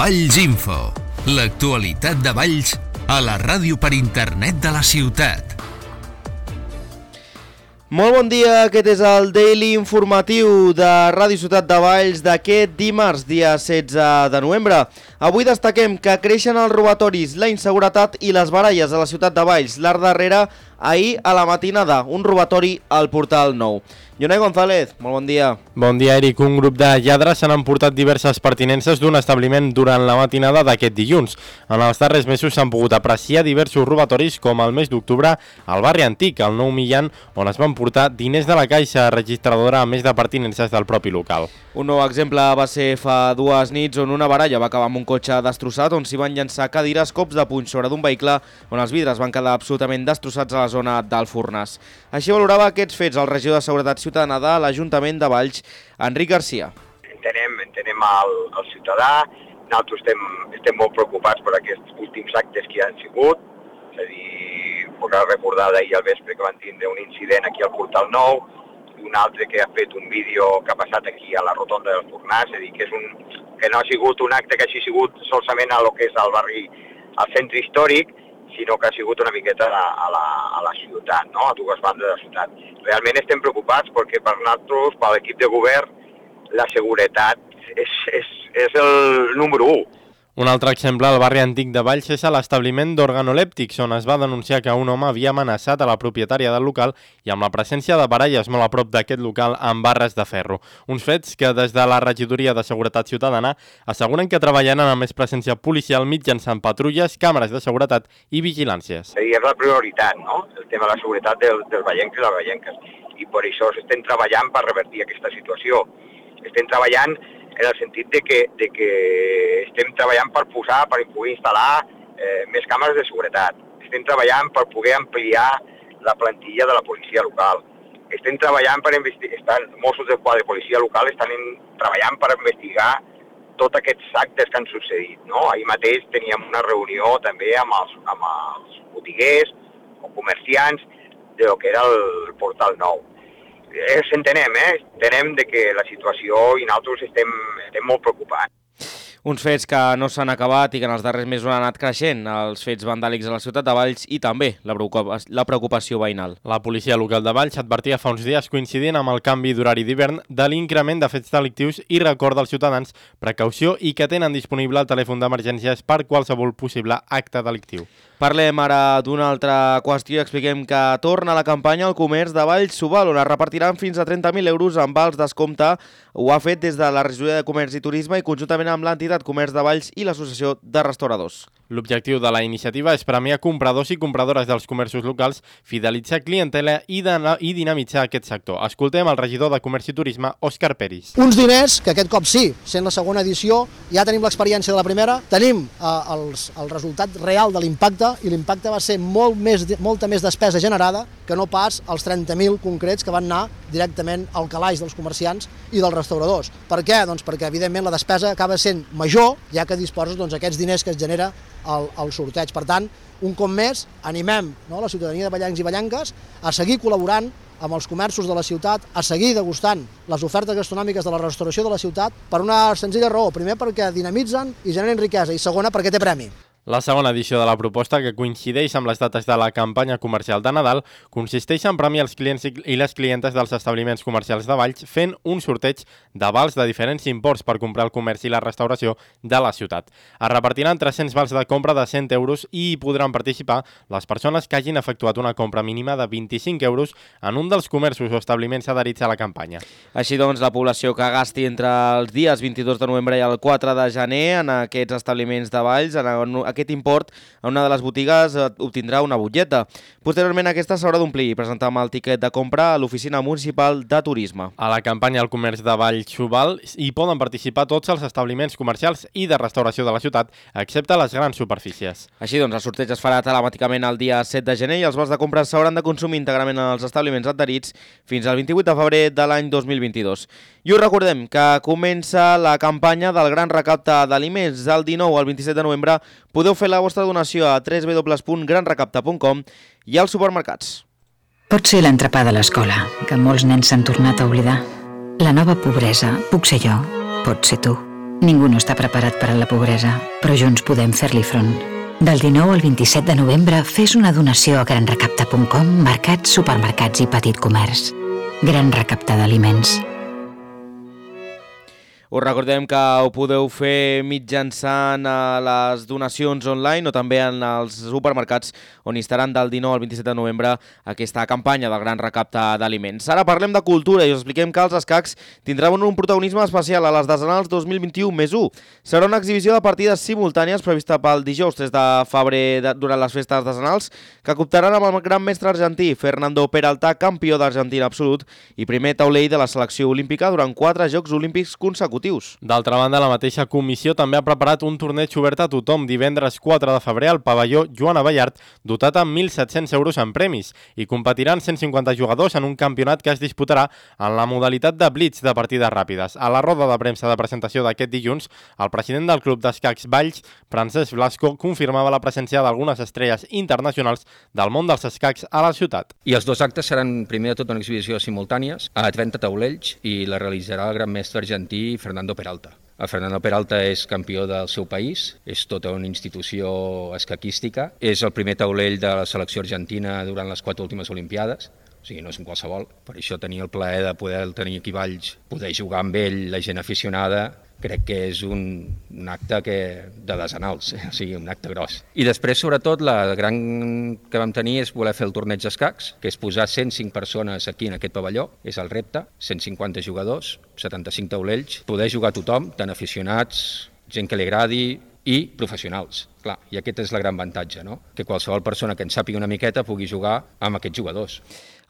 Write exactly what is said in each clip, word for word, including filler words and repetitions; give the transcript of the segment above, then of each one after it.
Valls Info, l'actualitat de Valls a la ràdio per internet de la ciutat. Molt bon dia, aquest és el Daily Informatiu de Ràdio Ciutat de Valls d'aquest dimarts, dia setze de novembre. Avui destaquem que creixen els robatoris, la inseguretat i les baralles a la ciutat de Valls. L'art darrere, ahir a la matinada, un robatori al Portal Nou. Jonai González, molt bon dia. Bon dia, Eric. Un grup de lladres s'han emportat diverses pertinences d'un establiment durant la matinada d'aquest dilluns. En els darrers mesos s'han pogut apreciar diversos robatoris, com el mes d'octubre al barri Antic, al Nou Millan, on es van portar diners de la caixa registradora a més de pertinences del propi local. Un nou exemple va ser fa dues nits on una baralla va acabar amb un cotxe destrossat on s'hi van llançar cadires, cops de puny sobre d'un vehicle on els vidres van quedar absolutament destrossats a la zona del Fornàs. Així valorava aquests fets el regidor de Seguretat Ciutadana de l'Ajuntament de Valls, Enric Garcia. Entenem, entenem el, el ciutadà, nosaltres estem, estem molt preocupats per aquests últims actes que hi han sigut, és a dir, podrà recordar d'ahir al vespre que van tindre un incident aquí al Portal Nou, un altre que ha fet un vídeo que ha passat aquí a la rotonda del Fornàs, és a dir, que, és un, que no ha sigut un acte que hagi sigut solament a lo que és el barri, al centre històric, sinó que ha sigut una miqueta a la, a la, a la ciutat, no? A dues bandes de la ciutat. Realment estem preocupats perquè per nosaltres, per l'equip de govern, la seguretat és, és, és el número u. Un altre exemple al barri Antic de Valls és a l'establiment d'organolèptics, on es va denunciar que un home havia amenaçat a la propietària del local i amb la presència de baralles molt a prop d'aquest local amb barres de ferro. Uns fets que des de la regidoria de Seguretat Ciutadana asseguren que treballaran amb més presència policial mitjançant patrulles, càmeres de seguretat i vigilàncies. És la prioritat, no?, el tema de la seguretat del, dels vallencs i les vallenques. I per això estem treballant per revertir aquesta situació. Estem treballant en el sentit de que, de que estem treballant per posar, per poder instal·lar eh, més càmeres de seguretat. Estem treballant per poder ampliar la plantilla de la policia local. Estem treballant per investigar, Mossos d'Esquadra de policia local estan en, treballant per investigar tots aquests actes que han succeït, no? Ahir mateix teníem una reunió també amb els, amb els botiguers o comerciants de lo que era el Portal Nou. Eh, entenem, eh? Entenem de que la situació i nosaltres estem, estem molt preocupats. Uns fets que no s'han acabat i que en els darrers mesos han anat creixent, els fets vandàlics a la ciutat de Valls i també la preocupació veïnal. La policia local de Valls advertia fa uns dies, coincidint amb el canvi d'horari d'hivern, de l'increment de fets delictius i recorda als ciutadans precaució i que tenen disponible el telèfon d'emergències per qualsevol possible acte delictiu. Parlem ara d'una altra qüestió i expliquem que torna a la campanya el comerç de Valls Subal, on es repartiran fins a trenta mil euros en vals descompte. Ho ha fet des de la Regidoria de Comerç i Turisme i conjuntament amb l'entitat Comerç de Valls i l'Associació de Restauradors. L'objectiu de la iniciativa és premiar compradors i compradores dels comerços locals, fidelitzar clientela i, i dinamitzar aquest sector. Escoltem el regidor de Comerç i Turisme, Òscar Peris. Uns diners que aquest cop sí, sent la segona edició, ja tenim l'experiència de la primera, tenim eh, els, el resultat real de l'impacte i l'impacte va ser molt més, molta més despesa generada que no pas els trenta mil concrets que van anar directament al calaix dels comerciants i dels restauradors. Per què? Doncs perquè evidentment la despesa acaba sent major, ja que disposes doncs, aquests diners que es genera el, el sorteig. Per tant, un cop més, animem no, la ciutadania de vallencs i vallenques a seguir col·laborant amb els comerços de la ciutat, a seguir degustant les ofertes gastronòmiques de la restauració de la ciutat per una senzilla raó. Primer, perquè dinamitzen i generen riquesa, i segona, perquè té premi. La segona edició de la proposta, que coincideix amb les dates de la campanya comercial de Nadal, consisteix en premiar els clients i les clientes dels establiments comercials de Valls fent un sorteig de vals de diferents imports per comprar el comerç i la restauració de la ciutat. Es repartiran tres-cents vals de compra de cent euros i hi podran participar les persones que hagin efectuat una compra mínima de vint-i-cinc euros en un dels comerços o establiments adherits a la campanya. Així doncs, la població que gasti entre els dies vint-i-dos de novembre i el quatre de gener en aquests establiments de Valls, en aquest import a una de les botigues obtindrà una butlleta. Posteriorment aquesta s'haurà d'omplir i presentar amb el tiquet de compra a l'Oficina Municipal de Turisme. A la campanya al comerç de Valls Subal hi poden participar tots els establiments comercials i de restauració de la ciutat, excepte les grans superfícies. Així doncs, el sorteig es farà telemàticament el dia set de gener i els vals de compra s'hauran de consumir íntegrament en els establiments adherits fins al vint-i-vuit de febrer de l'any dos mil vint-i-dos. I us recordem que comença la campanya del gran recapte d'aliments. Del dinou al vint-i-set de novembre podeu fer la vostra donació a w w w punt gran recapte punt com i als supermercats. Pot ser l'entrepà de l'escola, que molts nens s'han tornat a oblidar. La nova pobresa puc ser jo, pot ser tu. Ningú no està preparat per a la pobresa, però junts podem fer-li front. Del dinou al vint-i-set de novembre, fes una donació a gran recapta punt com, mercats, supermercats i petit comerç. Gran Recapta d'Aliments. Us recordem que ho podeu fer mitjançant les donacions online o també en els supermercats on hi estaran del dinou al vint-i-set de novembre aquesta campanya del Gran Recapte d'Aliments. Ara parlem de cultura i us expliquem que els escacs tindran un protagonisme especial a les Decenals dos mil vint-i-u més u. Serà una exhibició de partides simultànies prevista pel dijous tres de febrer de, durant les festes decenals que comptaran amb el gran mestre argentí Fernando Peralta, campió d'Argentina absolut i primer taulell de la selecció olímpica durant quatre Jocs Olímpics consecutius. D'altra banda, la mateixa comissió també ha preparat un torneig obert a tothom divendres quatre de febrer al pavelló Joana Ballart, dotat amb mil set-cents euros en premis, i competiran cent cinquanta jugadors en un campionat que es disputarà en la modalitat de blitz de partides ràpides. A la roda de premsa de presentació d'aquest dilluns, el president del Club d'Escacs Valls, Francesc Blasco, confirmava la presència d'algunes estrelles internacionals del món dels escacs a la ciutat. I els dos actes seran, primer de tot, una exhibició simultànies a trenta taulells i la realitzarà el gran mestre argentí Fernando Peralta. El Fernando Peralta és campió del seu país, és tota una institució escaquística, és el primer taulell de la selecció argentina durant les quatre últimes Olimpiades, o sigui, no és un qualsevol. Per això tenir el plaer de poder tenir aquí a Valls, poder jugar amb ell, la gent aficionada, crec que és un, un acte que, de decenals, o sigui, un acte gros. I després, sobretot, la gran que vam tenir és voler fer el torneig d'escacs, que és posar cent cinc persones aquí en aquest pavelló, és el repte, cent cinquanta jugadors, setanta-cinc taulells, poder jugar tothom, tant aficionats, gent que li agradi i professionals. Clar, i aquest és el gran avantatge, no? Que qualsevol persona que en sàpiga una miqueta pugui jugar amb aquests jugadors.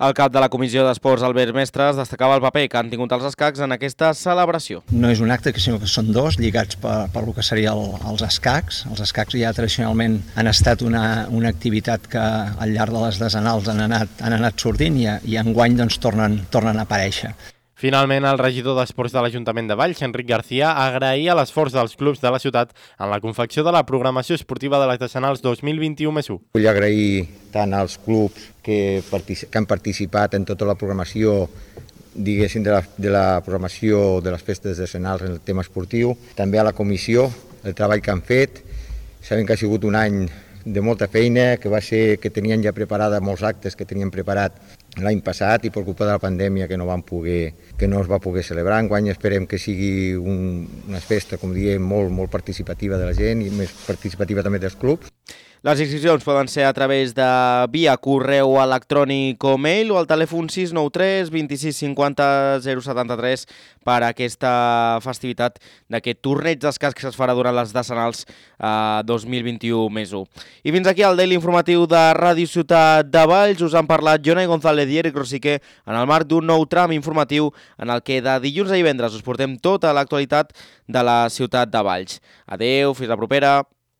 El cap de la Comissió d'Esports, Albert Mestres, destacava el paper que han tingut els escacs en aquesta celebració. No és un acte, sinó que són dos, lligats per, per el que seria el, els escacs. Els escacs ja tradicionalment han estat una, una activitat que al llarg de les decenals han anat, han anat sortint i, i enguany doncs, tornen, tornen a aparèixer. Finalment, el regidor d'Esports de l'Ajuntament de Valls, Enric García, agraïa l'esforç dels clubs de la ciutat en la confecció de la programació esportiva de les decenals dos mil vint-i-u més u. Vull agrair tant als clubs que, que han participat en tota la programació, diguéssim, de la, de la programació de les festes decenals en el tema esportiu, també a la comissió, el treball que han fet. Sabem que ha sigut un any de molta feina, que va ser que tenien ja preparada molts actes que tenien preparat l'any passat i per culpa de la pandèmia que no van poder, que no es va poder celebrar. Enguany esperem que sigui un, una festa, com diem, molt, molt participativa de la gent i més participativa també dels clubs. Les inscripcions poden ser a través de via correu electrònic o mail o al telèfon sis nou tres vint sis cinquanta zero setanta-tres per a aquesta festivitat d'aquest torneig d'escacs que es farà durant les decenals eh, dos mil vint-i-u més u. I fins aquí el Daily Informatiu de Ràdio Ciutat de Valls. Us han parlat Jonai González i Eric Rosique en el marc d'un nou tram informatiu en el que de dilluns a divendres us portem tota l'actualitat de la ciutat de Valls. Adeu, fins la propera.